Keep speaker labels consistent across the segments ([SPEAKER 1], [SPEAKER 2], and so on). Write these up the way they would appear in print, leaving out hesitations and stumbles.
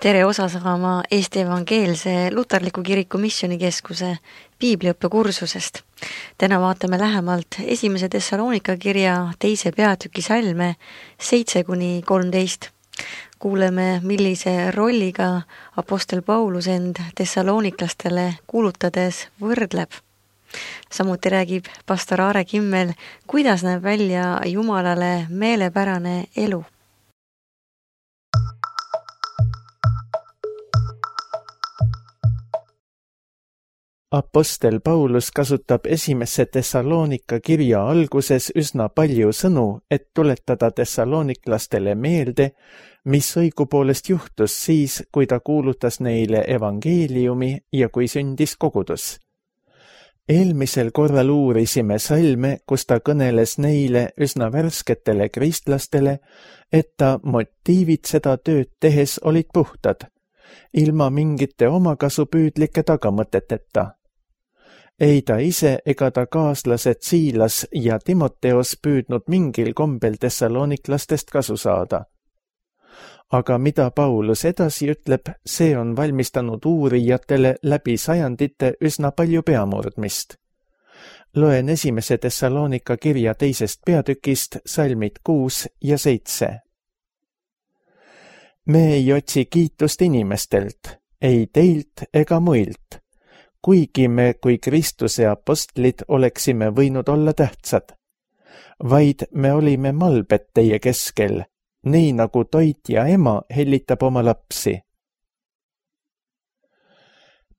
[SPEAKER 1] Tere osa saama Eesti Evangeelse Luterliku Kiriku Missioonikeskuse piibliõppekursusest. Täna vaatame lähemalt 1. Thessalonika kirja 2. peatüki salme 7-13. Kuuleme, millise rolliga apostel Paulus end thessaloniklastele kuulutades võrdleb. Samuti räägib pastor Aare Kimmel, kuidas näeb välja Jumalale meelepärane elu.
[SPEAKER 2] Apostel Paulus kasutab 1. Thessalonika kirja alguses üsna palju sõnu, et tuletada thessaloniklastele meelde, mis õigupoolest juhtus siis, kui ta kuulutas neile evangeeliumi ja kui sündis kogudus. Eelmisel korral uurisime salme, kus ta kõneles neile üsna värsketele kristlastele, et ta motiivid seda tööd tehes olid puhtad, ilma mingite omakasupüüdlike tagamõteteta. Ei ta ise ega ta kaaslased Siilas ja Timoteos püüdnud mingil kombel thessaloniklastest kasu saada. Aga mida Paulus edasi ütleb, see on valmistanud uurijatele läbi sajandite üsna palju peamurdmist. Loen 1. Thessalonika kirja 2. peatükist salmid 6 ja 7. Me ei otsi kiitust inimestelt, ei teilt ega muilt, kuigi me kui Kristuse apostlid oleksime võinud olla tähtsad, vaid me olime malbed teie keskel, nii nagu toitja ema hellitab oma lapsi.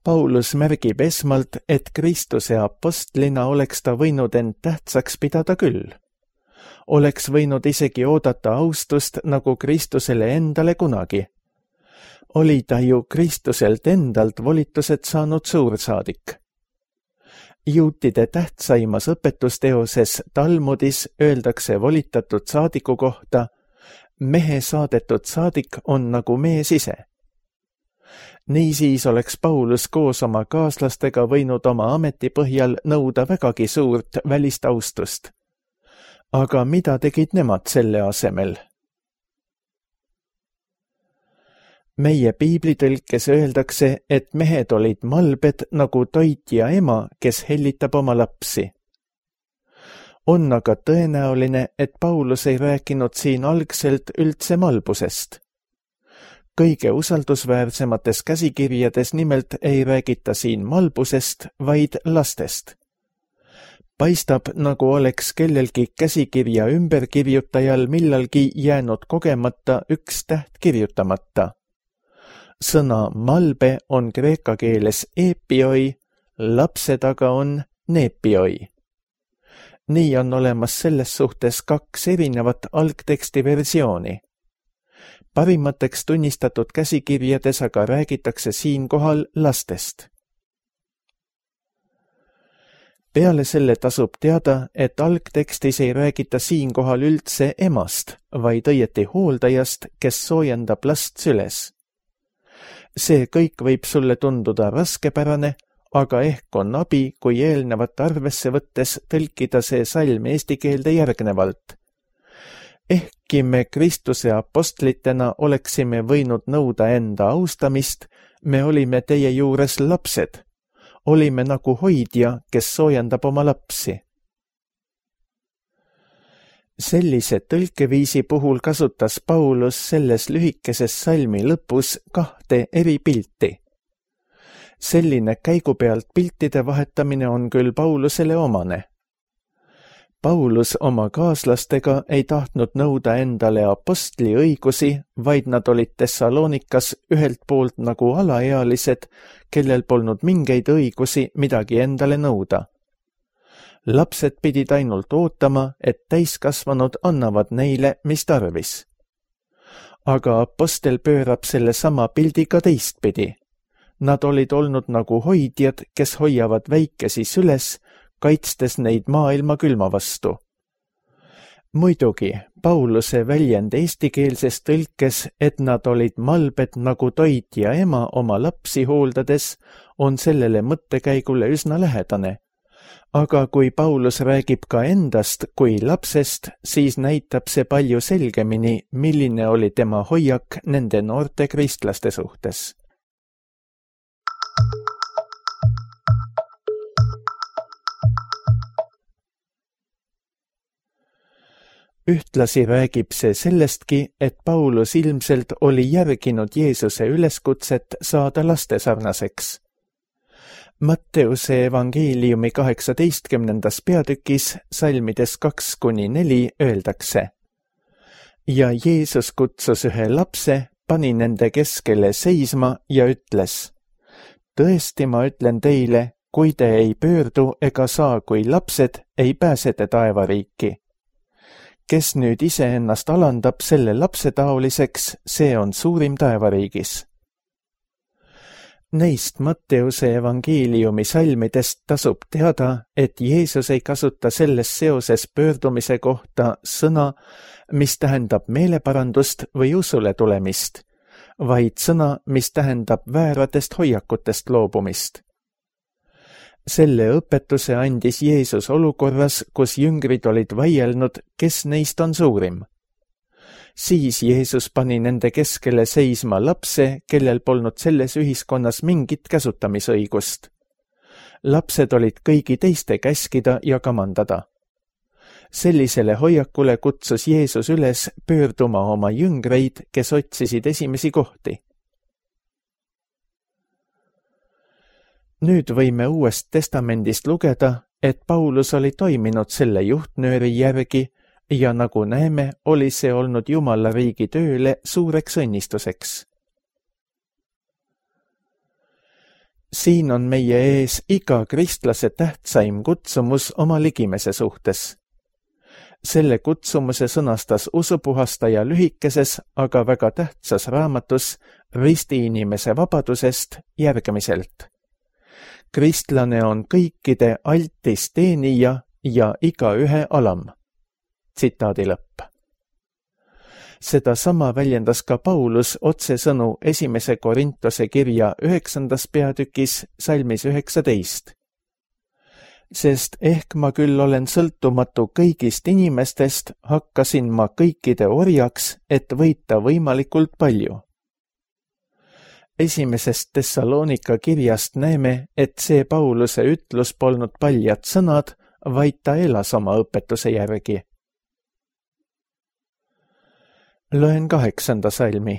[SPEAKER 2] Paulus märgib esmalt, et Kristuse apostlina oleks ta võinud end tähtsaks pidada küll. Oleks võinud isegi oodata austust nagu Kristusele endale kunagi. Oli ta ju Kristuselt endalt volitused saanud suursaadik. Juutide tähtsaimas õpetusteoses Talmudis öeldakse volitatud saadiku kohta, mehe saadetud saadik on nagu mees ise. Niisiis oleks Paulus koos oma kaaslastega võinud oma ameti põhjal nõuda vägagi suurt välist austust. Aga mida tegid nemad selle asemel? Meie piiblitõlkes öeldakse, et mehed olid malbed nagu toitja ema, kes hellitab oma lapsi. On aga tõenäoline, et Paulus ei rääkinud siin algselt üldse malbusest. Kõige usaldusväärsemates käsikirjades nimelt ei räägita siin malbusest, vaid lastest. Paistab, nagu oleks kellelgi käsikirja ümberkirjutajal millalgi jäänud kogemata üks täht kirjutamata. Sõna malbe on kreeka keeles epioi, lapse taga on nepioi. Nii on olemas selles suhtes 2 erinevat algteksti versiooni. Parimateks tunnistatud käsikirjades aga räägitakse siinkohal lastest. Peale selle tasub teada, et algtekstis ei räägita siinkohal üldse emast, vaid õieti hooldajast, kes soojendab last süles. See kõik võib sulle tunduda raskepärane, aga ehk on abi, kui eelnevat arvesse võttes tõlkida see salm eesti keelde järgnevalt. Ehkki me Kristuse apostlitena oleksime võinud nõuda enda austamist, me olime teie juures lapsed. Olime nagu hoidja, kes soojendab oma lapsi. Sellise tõlkeviisi puhul kasutas Paulus selles lühikeses salmi lõpus 2 eri pilti. Selline käigu pealt piltide vahetamine on küll Paulusele omane. Paulus oma kaaslastega ei tahtnud nõuda endale apostli õigusi, vaid nad olid Thessalonikas ühelt poolt nagu alaealised, kellel polnud mingeid õigusi midagi endale nõuda. Lapsed pidid ainult ootama, et täiskasvanud annavad neile, mis tarvis. Aga apostel pöörab selle sama pildi ka teistpidi. Nad olid olnud nagu hoidjad, kes hoiavad väikesi süles, kaitstes neid maailma külma vastu. Muidugi, Pauluse väljend eestikeelses tõlkes, et nad olid malbed nagu toitja ema oma lapsi hooldades, on sellele mõttekäigule üsna lähedane. Aga kui Paulus räägib ka endast kui lapsest, siis näitab see palju selgemini, milline oli tema hoiak nende noorte kristlaste suhtes. Ühtlasi räägib see sellestki, et Paulus ilmselt oli järginud Jeesuse üleskutset saada lastesarnaseks. Matteuse evangeeliumi 18. peatükis salmides 2-4 öeldakse: ja Jeesus kutsus ühe lapse, pani nende keskele seisma ja ütles: tõesti, ma ütlen teile, kui te ei pöördu ega saa kui lapsed, ei pääse te taevariiki. Kes nüüd iseennast alandab selle lapse taoliseks, see on suurim taevariigis. Neist Matteuse evangeeliumi salmidest tasub teada, et Jeesus ei kasuta selles seoses pöördumise kohta sõna, mis tähendab meeleparandust või usule tulemist, vaid sõna, mis tähendab vääratest hoiakutest loobumist. Selle õpetuse andis Jeesus olukorras, kus jüngrid olid vaielnud, kes neist on suurim. Siis Jeesus pani nende keskele seisma lapse, kellel polnud selles ühiskonnas mingit käsutamisõigust. Lapsed olid kõigi teiste käskida ja kamandada. Sellisele hoiakule kutsus Jeesus üles pöörduma oma jüngreid, kes otsisid esimesi kohti. Nüüd võime Uuest Testamendist lugeda, et Paulus oli toiminud selle juhtnööri järgi ja nagu näeme, oli see olnud Jumala riigi tööle suureks õnnistuseks. Siin on meie ees iga kristlase tähtsaim kutsumus oma ligimese suhtes. Selle kutsumuse sõnastas usupuhastaja lühikeses, aga väga tähtsas raamatus Ristiinimese vabadusest järgmiselt. Kristlane on kõikide altis teenija ja igaühe alam. Tsitaadi lõpp. Seda sama väljendas ka Paulus otsesõnu 1. Korintuse kirja 9. peatükis salmis 19. Sest ehk ma küll olen sõltumatu kõigist inimestest, hakkasin ma kõikide orjaks, et võita võimalikult palju. 1. Tessaloonika kirjast näeme, et see Pauluse ütlus polnud paljad sõnad, vaid ta elas oma õpetuse järgi. Loen 8. salmi.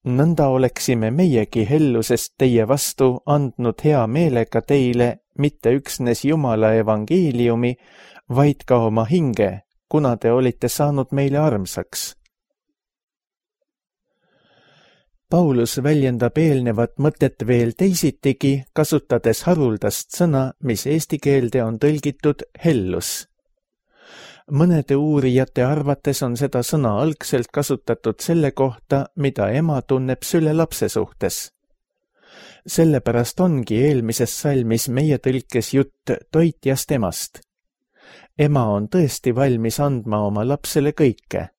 [SPEAKER 2] Nõnda oleksime meiegi hellusest teie vastu andnud hea meelega teile mitte üksnes Jumala evangeeliumi, vaid ka oma hinge, kuna te olite saanud meile armsaks. Paulus väljendab eelnevat mõtet veel teisitigi, kasutades haruldast sõna, mis eesti keelde on tõlgitud hellus. Mõnede uurijate arvates on seda sõna algselt kasutatud selle kohta, mida ema tunneb süle lapse suhtes. Sellepärast ongi eelmises salmis meie tõlkes jutt toitjast emast. Ema on tõesti valmis andma oma lapsele kõike.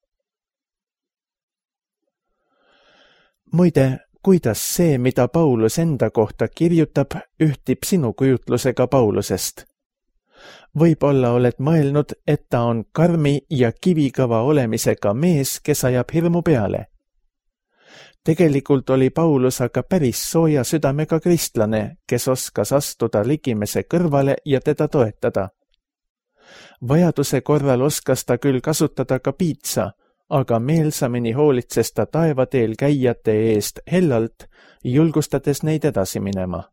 [SPEAKER 2] Muide, kuidas see, mida Paulus enda kohta kirjutab, ühtib sinu kujutlusega Paulusest? Võib-olla oled mõelnud, et ta on karmi ja kivikõva olemisega mees, kes ajab hirmu peale. Tegelikult oli Paulus aga päris sooja südamega kristlane, kes oskas astuda ligimese kõrvale ja teda toetada. Vajaduse korral oskas ta küll kasutada ka piitsa, aga meelsamini hoolitses ta taevateel käijate eest hellalt, julgustades neid edasi minema.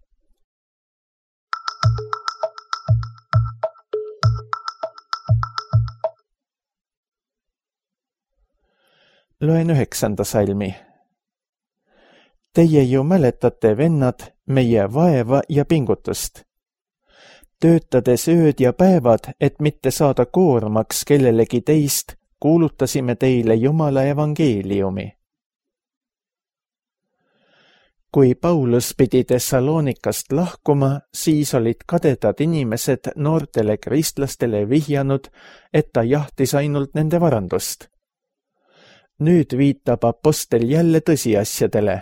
[SPEAKER 2] Loen 9. salmi. Teie ju mäletate, vennad, meie vaeva ja pingutust. Töötades ööd ja päevad, et mitte saada koormaks kellelegi teist, kuulutasime teile Jumala evangeeliumi. Kui Paulus pidi Thessalonikast lahkuma, siis olid kadedad inimesed noortele kristlastele vihjanud, et ta jahtis ainult nende varandust. Nüüd viitab apostel jälle tõsiasjadele.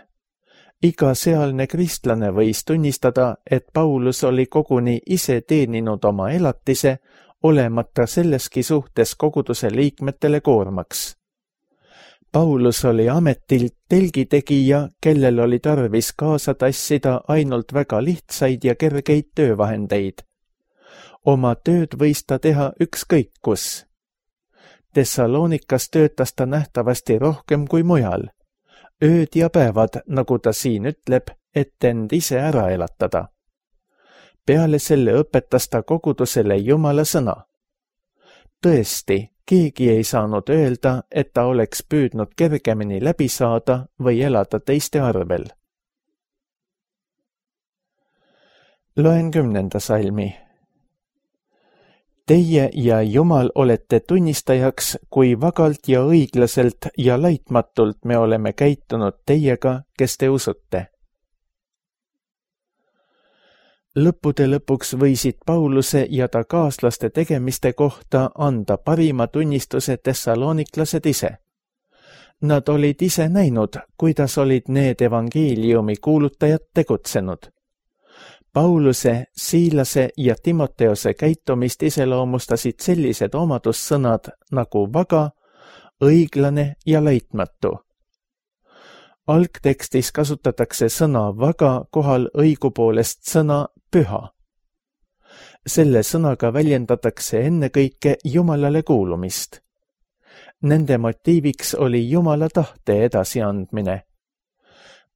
[SPEAKER 2] Iga sealne kristlane võis tunnistada, et Paulus oli koguni ise teeninud oma elatise, olemata selleski suhtes koguduse liikmetele koormaks. Paulus oli ametilt telgitegija, kellel oli tarvis kaasa tassida ainult väga lihtsaid ja kergeid töövahendeid. Oma tööd võis ta teha ükskõik kus. Thessalonikas töötas ta nähtavasti rohkem kui mujal. Ööd ja päevad, nagu ta siin ütleb, et end ise ära elatada. Peale selle õpetas ta kogudusele Jumala sõna. Tõesti, keegi ei saanud öelda, et ta oleks püüdnud kergemini läbi saada või elada teiste arvel. Loen 10. salmi. Teie ja Jumal olete tunnistajaks, kui vagalt ja õiglaselt ja laitmatult me oleme käitunud teiega, kes te usute. Lõppude lõpuks võisid Pauluse ja ta kaaslaste tegemiste kohta anda parima tunnistuse thessaloniklased ise. Nad olid ise näinud, kuidas olid need evangeeliumi kuulutajad tegutsenud. Pauluse, Siilase ja Timoteose käitumist iseloomustasid sellised omadussõnad nagu vaga, õiglane ja laitmatu. Algtekstis kasutatakse sõna vaga kohal õigupoolest sõna püha. Selle sõnaga väljendatakse ennekõike Jumalale kuulumist. Nende motiiviks oli Jumala tahte edasiandmine.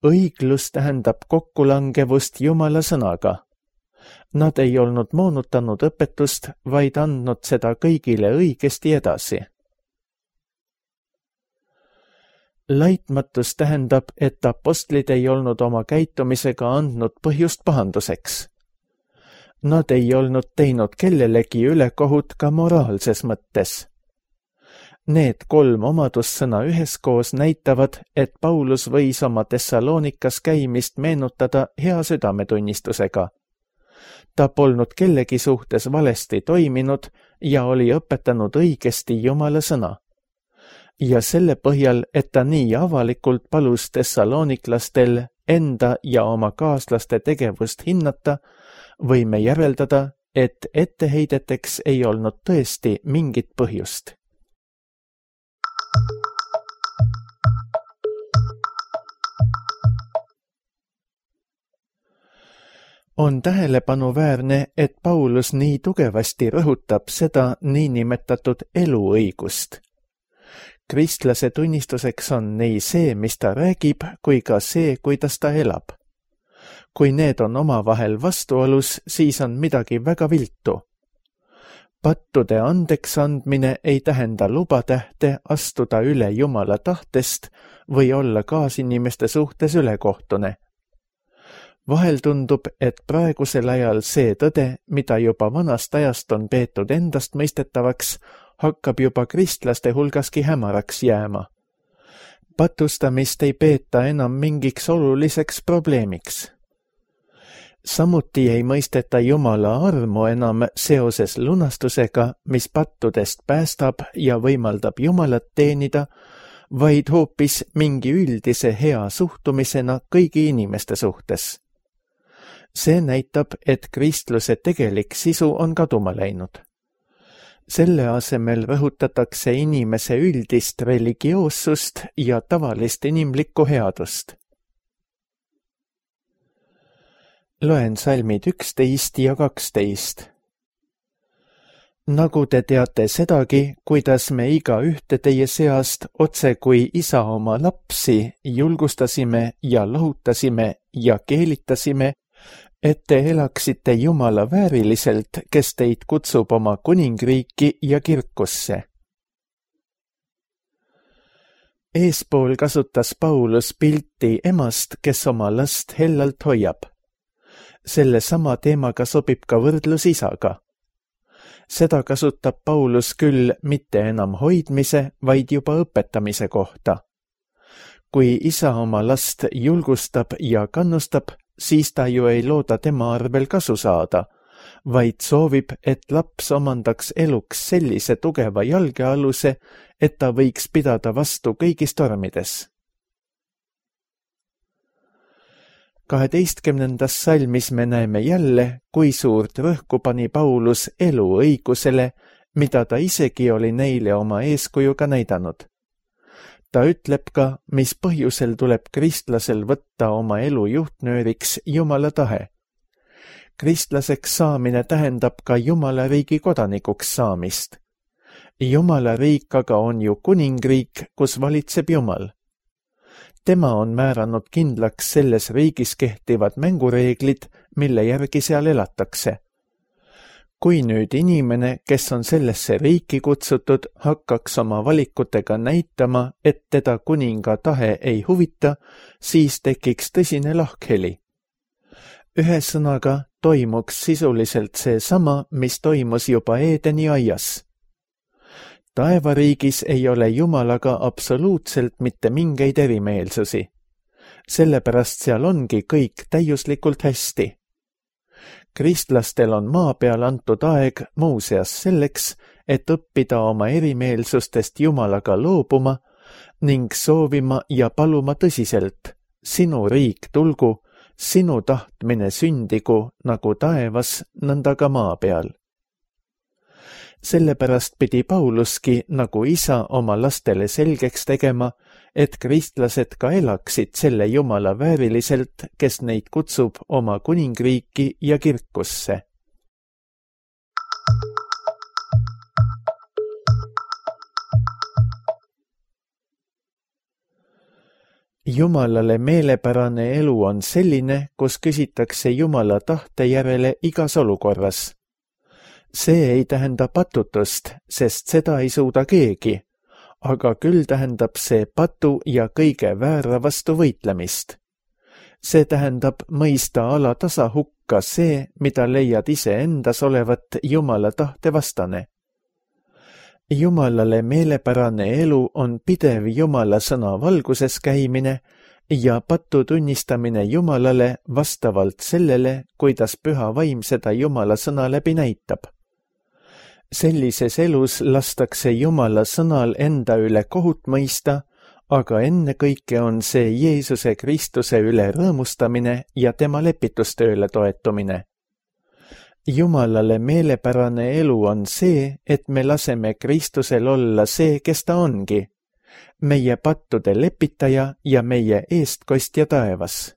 [SPEAKER 2] Õiglus tähendab kokkulangevust Jumala sõnaga. Nad ei olnud moonutanud õpetust, vaid andnud seda kõigile õigesti edasi. Laitmatus tähendab, et apostlid ei olnud oma käitumisega andnud põhjust pahanduseks. Nad ei olnud teinud kellelegi ülekohut ka moraalses mõttes. Need 3 omadussõna üheskoos näitavad, et Paulus võis oma Thessalonikas käimist meenutada hea südametunnistusega. Ta polnud kellegi suhtes valesti toiminud ja oli õpetanud õigesti Jumala sõna. Ja selle põhjal, et ta nii avalikult palus thessaloniklastel enda ja oma kaaslaste tegevust hinnata, võime järeldada, et etteheideteks ei olnud tõesti mingit põhjust. On tähelepanuväärne, et Paulus nii tugevasti rõhutab seda niinimetatud eluõigust. Kristlase tunnistuseks on nii see, mis ta räägib, kui ka see, kuidas ta elab. Kui need on omavahel vastuolus, siis on midagi väga viltu. Pattude andeks andmine ei tähenda lubatähte astuda üle Jumala tahtest või olla kaasinimeste suhtes ülekohtune. Vahel tundub, et praegusel ajal see tõde, mida juba vanast ajast on peetud endast mõistetavaks, hakkab juba kristlaste hulgaski hämaraks jääma. Patustamist ei peeta enam mingiks oluliseks probleemiks. Samuti ei mõisteta Jumala armu enam seoses lunastusega, mis pattudest päästab ja võimaldab Jumalat teenida, vaid hoopis mingi üldise hea suhtumisena kõigi inimeste suhtes. See näitab, et kristluse tegelik sisu on kaduma läinud. Selle asemel rõhutatakse inimese üldist religioossust ja tavalist inimlikku headust. Loen salmid 11 ja 12. Nagu te teate sedagi, kuidas me iga ühte teie seast otse kui isa oma lapsi julgustasime ja lohutasime ja keelitasime, et te elaksite Jumala vääriliselt, kes teid kutsub oma kuningriiki ja kirkusse. Eespool kasutas Paulus pilti emast, kes oma last hellalt hoiab. Selle sama teemaga sobib ka võrdlus isaga. Seda kasutab Paulus küll mitte enam hoidmise, vaid juba õpetamise kohta. Kui isa oma last julgustab ja kannustab, siis ta ju ei looda tema arvel kasu saada, vaid soovib, et laps omandaks eluks sellise tugeva jalgealuse, et ta võiks pidada vastu kõigis tormides. 12. salmis me näeme jälle, kui suurt rõhku pani Paulus eluõigusele, mida ta isegi oli neile oma eeskujuga näidanud. Ta ütleb ka, mis põhjusel tuleb kristlasel võtta oma elu juhtnööriks Jumala tahe. Kristlaseks saamine tähendab ka Jumala riigi kodanikuks saamist. Jumala riik aga on ju kuningriik, kus valitseb Jumal. Tema on määranud kindlaks selles riigis kehtivad mängureeglid, mille järgi seal elatakse. Kui nüüd inimene, kes on sellesse riiki kutsutud, hakkaks oma valikutega näitama, et teda kuninga tahe ei huvita, siis tekiks tõsine lahkheli. Ühesõnaga toimuks sisuliselt seesama, mis toimus juba Eedeni aias. Taevariigis ei ole Jumalaga absoluutselt mitte mingeid erimeelsusi. Sellepärast seal ongi kõik täiuslikult hästi. Kristlastel on maa peal antud aeg muuseas selleks, et õppida oma erimeelsustest Jumalaga loobuma ning soovima ja paluma tõsiselt, sinu riik tulgu, sinu tahtmine sündigu nagu taevas, nõnda ka maa peal. Sellepärast pidi Pauluski nagu isa oma lastele selgeks tegema, et kristlased ka elaksid selle Jumala vääriliselt, kes neid kutsub oma kuningriiki ja kirkusse. Jumalale meelepärane elu on selline, kus küsitakse Jumala tahte järele igas olukorras. See ei tähenda patutust, sest seda ei suuda keegi, aga küll tähendab see patu ja kõige väära vastu võitlemist. See tähendab mõista alatasa hukka see, mida leiad iseendas olevat Jumala tahte vastane. Jumalale meelepärane elu on pidev Jumala sõna valguses käimine ja patu tunnistamine Jumalale vastavalt sellele, kuidas püha vaim seda Jumala sõna läbi näitab. Sellises elus lastakse Jumala sõnal enda üle kohut mõista, aga ennekõike on see Jeesuse Kristuse üle rõõmustamine ja tema lepitustööle toetumine. Jumalale meelepärane elu on see, et me laseme Kristusel olla see, kes ta ongi, meie pattude lepitaja ja meie eestkostja taevas.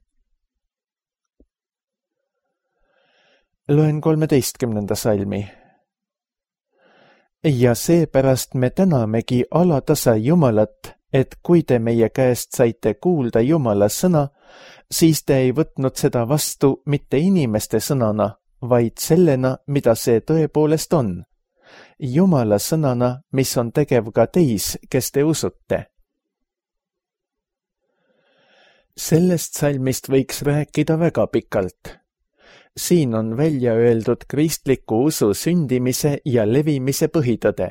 [SPEAKER 2] Loen 13. salmi. Ja seepärast me tänamegi alatasa Jumalat, et kui te meie käest saite kuulda Jumala sõna, siis te ei võtnud seda vastu mitte inimeste sõnana, vaid sellena, mida see tõepoolest on. Jumala sõnana, mis on tegev ka teis, kes te usute. Sellest salmist võiks rääkida väga pikalt. Siin on välja öeldud kristliku usu sündimise ja levimise põhitõde.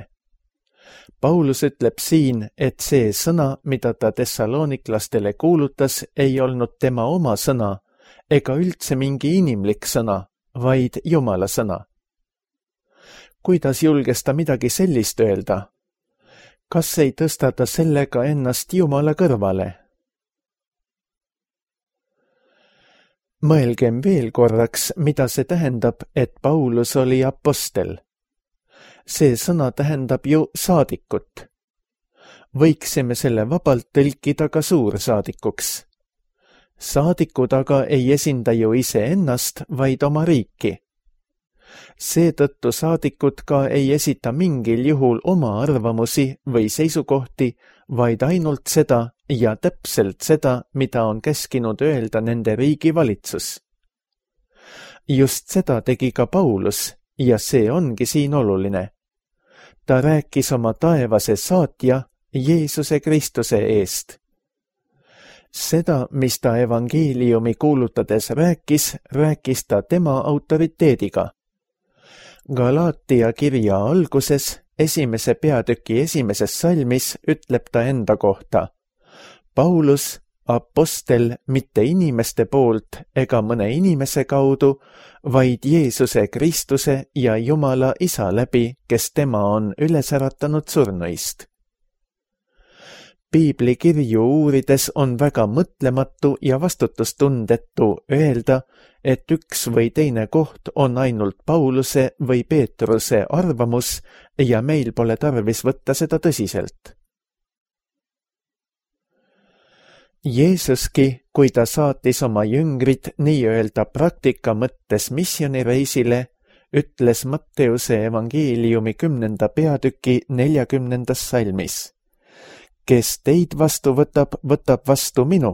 [SPEAKER 2] Paulus ütleb siin, et see sõna, mida ta tessaloniklastele kuulutas, ei olnud tema oma sõna ega üldse mingi inimlik sõna, vaid Jumala sõna. Kuidas julges ta midagi sellist öelda? Kas ei tõsta ta sellega ennast Jumala kõrvale? Mõelgem veel korraks, mida see tähendab, et Paulus oli apostel. See sõna tähendab ju saadikut. Võiksime selle vabalt tõlkida ka suursaadikuks. Saadikud aga ei esinda ju iseennast, vaid oma riiki. Seetõttu saadikud ka ei esita mingil juhul oma arvamusi või seisukohti, vaid ainult seda ja täpselt seda, mida on käskinud öelda nende riigi valitsus. Just seda tegi ka Paulus ja see ongi siin oluline. Ta rääkis oma taevase saatja Jeesuse Kristuse eest. Seda, mis ta evangeeliumi kuulutades rääkis ta tema autoriteediga. Galaatia kirja alguses, 1. peatüki 1. salmis ütleb ta enda kohta. Paulus, apostel mitte inimeste poolt ega mõne inimese kaudu, vaid Jeesuse Kristuse ja Jumala Isa läbi, kes tema on üles äratanud surnuist. Piibli kirju uurides on väga mõtlematu ja vastutustundetu öelda, et üks või teine koht on ainult Pauluse või Peetruse arvamus ja meil pole tarvis võtta seda tõsiselt. Jeesuski, kui ta saatis oma jüngrid nii-öelda praktika mõttes missioonireisile, ütles Matteuse evangeeliumi 10. peatüki 40. salmis. Kes teid vastu võtab, võtab vastu minu,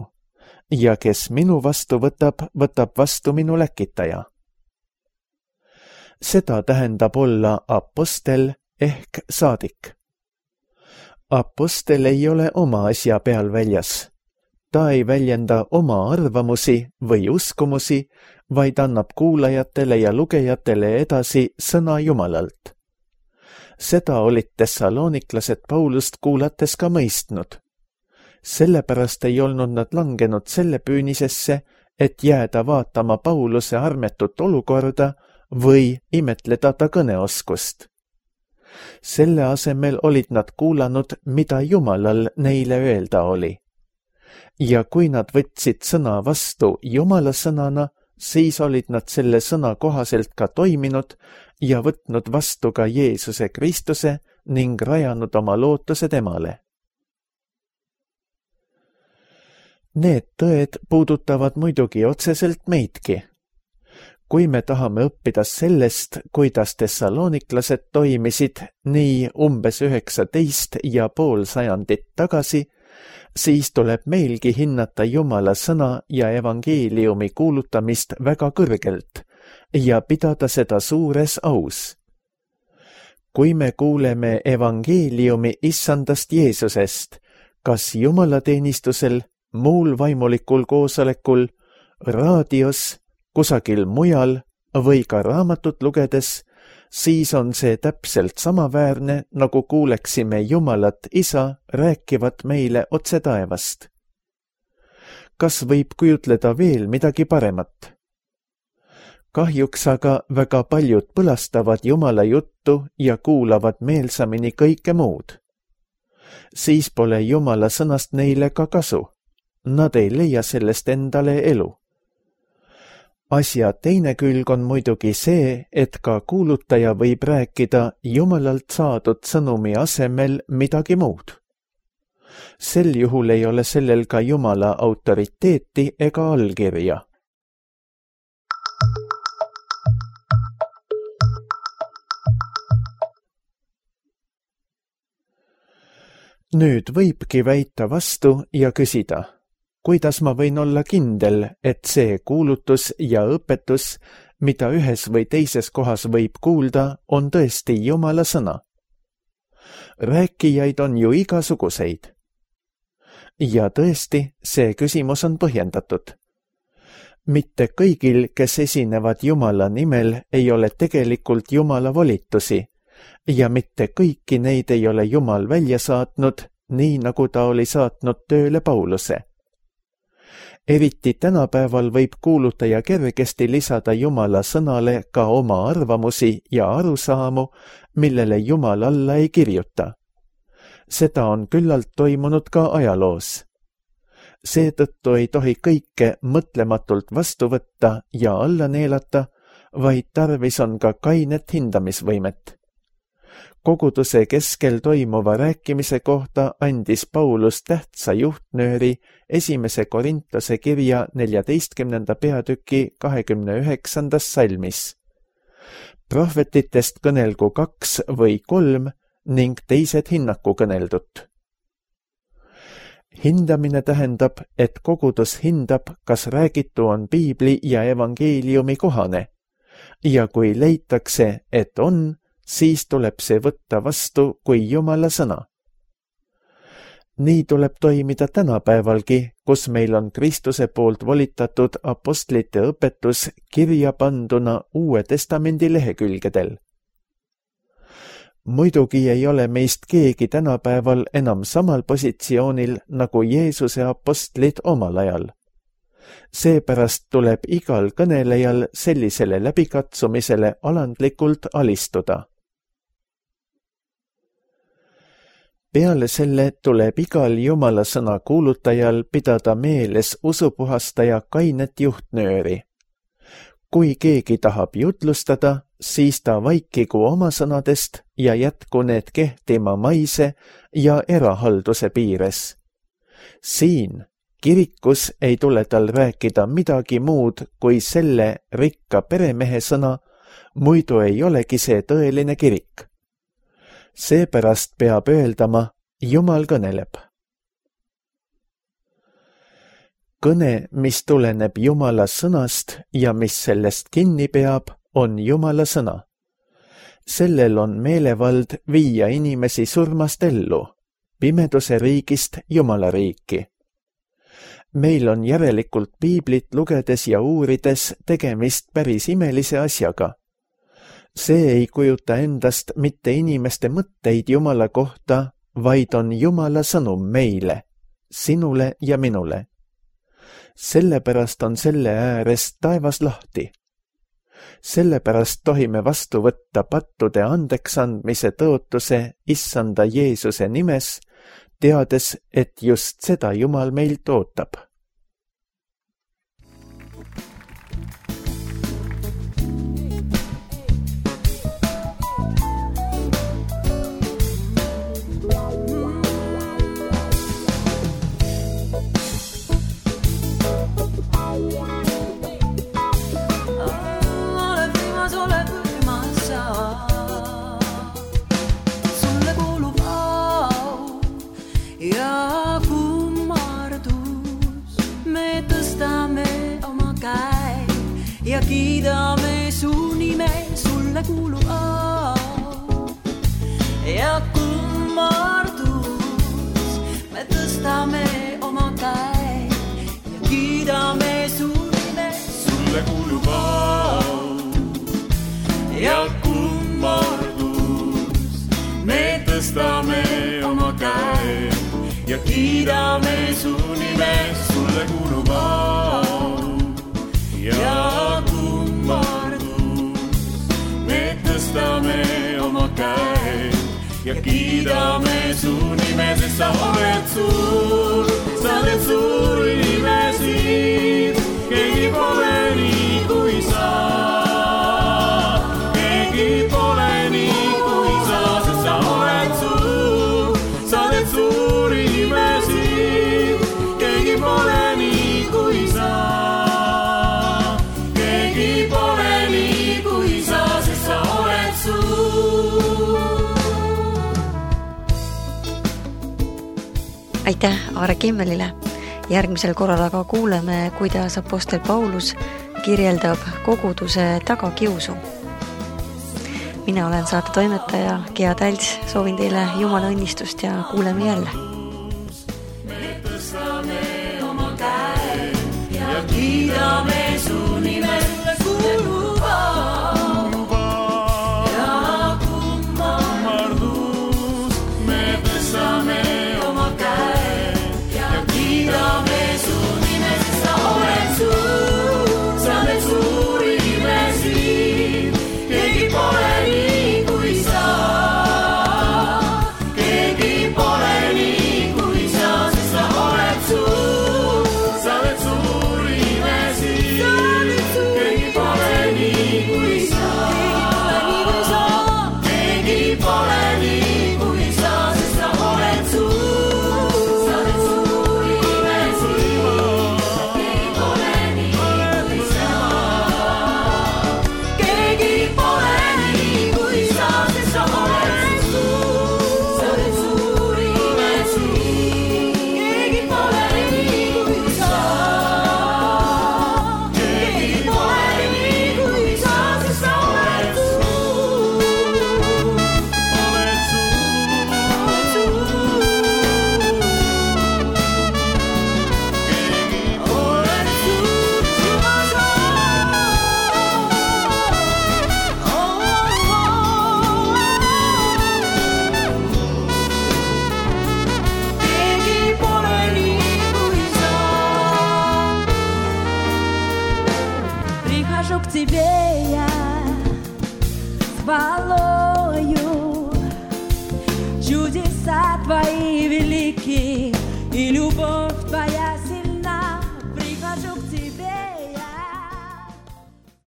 [SPEAKER 2] ja kes minu vastu võtab, võtab vastu minu läkitaja. Seda tähendab olla apostel ehk saadik. Apostel ei ole oma asja peal väljas. Ta ei väljenda oma arvamusi või uskumusi, vaid annab kuulajatele ja lugejatele edasi sõna Jumalalt. Seda olid tessaloniklased Paulust kuulates ka mõistnud. Sellepärast ei olnud nad langenud selle püünisesse, et jääda vaatama Pauluse armetut olukorda või imetleda ta kõneoskust. Selle asemel olid nad kuulanud, mida Jumalal neile öelda oli. Ja kui nad võtsid sõna vastu Jumala sõnana, siis olid nad selle sõna kohaselt ka toiminud ja võtnud vastu ka Jeesuse Kristuse ning rajanud oma lootuse temale. Need tõed puudutavad muidugi otseselt meidki. Kui me tahame õppida sellest, kuidas tessaloniklased toimisid nii umbes 19,5 sajandit tagasi, siis tuleb meilgi hinnata Jumala sõna ja evangeeliumi kuulutamist väga kõrgelt ja pidada seda suures aus. Kui me kuuleme evangeeliumi issandast Jeesusest, kas jumalateenistusel, muul vaimulikul koosolekul, raadios, kusagil mujal või ka raamatut lugedes, siis on see täpselt samaväärne, nagu kuuleksime Jumalat Isa rääkivat meile otse taevast. Kas võib kujutleda veel midagi paremat? Kahjuks aga väga paljud põlastavad Jumala juttu ja kuulavad meelsamini kõike muud. Siis pole Jumala sõnast neile ka kasu. Nad ei leia sellest endale elu. Asja teine külg on muidugi see, et ka kuulutaja võib rääkida Jumalalt saadud sõnumi asemel midagi muud. Sel juhul ei ole sellel ka Jumala autoriteeti ega allkirja. Nüüd võibki väita vastu ja küsida, kuidas ma võin olla kindel, et see kuulutus ja õpetus, mida ühes või teises kohas võib kuulda, on tõesti Jumala sõna? Rääkijaid on ju igasuguseid. Ja tõesti, see küsimus on põhjendatud. Mitte kõigil, kes esinevad Jumala nimel, ei ole tegelikult Jumala volitusi ja mitte kõiki neid ei ole Jumal välja saatnud, nii nagu ta oli saatnud tööle Pauluse. Eriti tänapäeval võib kuulutaja kergesti lisada Jumala sõnale ka oma arvamusi ja arusaamu, millele Jumal alla ei kirjuta. Seda on küllalt toimunud ka ajaloos. Seetõttu ei tohi kõike mõtlematult vastu võtta ja alla neelata, vaid tarvis on ka kainet hindamisvõimet. Koguduse keskel toimuva rääkimise kohta andis Paulus tähtsa juhtnööri 1. Korintuse kirja 14. peatüki 29. salmis. Prohvetitest kõnelgu 2 või 3 ning teised hinnaku kõneldut. Hindamine tähendab, et kogudus hindab, kas räägitu on piibli ja evangeeliumi kohane ja kui leitakse, et on, siis tuleb see võtta vastu kui Jumala sõna. Nii tuleb toimida tänapäevalgi, kus meil on Kristuse poolt volitatud apostlite õpetus kirja panduna Uue Testamendi lehekülgedel. Muidugi ei ole meist keegi tänapäeval enam samal positsioonil nagu Jeesuse apostlid omal ajal. Seepärast tuleb igal kõnelejal sellisele läbikatsumisele alandlikult alistuda. Peale selle tuleb igal Jumala sõna kuulutajal pidada meeles usupuhastaja kainet juhtnööri. Kui keegi tahab jutlustada, siis ta vaikigu oma sõnadest ja jätku need kehtima maise ja erahalduse piires. Siin kirikus ei tule tal rääkida midagi muud kui selle rikka peremehe sõna, muidu ei olegi see tõeline kirik. Seepärast peab öeldama, Jumal kõneleb. Kõne, mis tuleneb Jumala sõnast ja mis sellest kinni peab, on Jumala sõna. Sellel on meelevald viia inimesi surmast ellu, pimeduse riigist Jumala riiki. Meil on järelikult piiblit lugedes ja uurides tegemist päris imelise asjaga. See ei kujuta endast mitte inimeste mõtteid Jumala kohta, vaid on Jumala sõnum meile, sinule ja minule. Sellepärast on selle äärest taevas lahti. Sellepärast tohime vastu võtta pattude andeksandmise tõotuse Issanda Jeesuse nimes, teades, et just seda Jumal meilt ootab.
[SPEAKER 3] Ja kiidame su nime, sulle kuulub au ja kummardus. Me tõstame oma käe ja kiidame su nime, sulle kuulub au ja kummardus. Me tõstame oma käe ja kiidame su nime, sulle kuulub au ja kummardus. Me tõstame oma käe ja kiidame su nime, sest sa oled suur, sa oled suur inimesi, keegi pole nii kui sa. Keegi pole nii kui sa, sest sa oled suur inimesi, keegi pole nii kui sa.
[SPEAKER 1] Aitäh Aare Kimmelile. Järgmisel korral aga kuuleme, kuidas apostel Paulus kirjeldab koguduse tagakiusu. Mina olen saate toimetaja Gea Tälts, soovin teile Jumala õnnistust ja kuuleme jälle. Me tõstame oma käe ja kiidame su nime, kuulub au ja kummardus. Me tõstame oma käe ja kiidame su nime, sest sa oled suur inimesi, keegi pole nii kui sa. Keegi pole nii kui sa, sest sa oled suur inimesi, keegi pole nii kui sa. Keegi pole nii kui sa, sest sa oled suur inimesi, keegi pole nii kui sa. Keegi pole nii kui sa, sest sa oled suur inimesi, keegi pole nii kui sa. Keegi pole nii kui sa, sest sa oled Прихожу к тебе я с хвалою, чудес
[SPEAKER 4] stai veliki i ljubov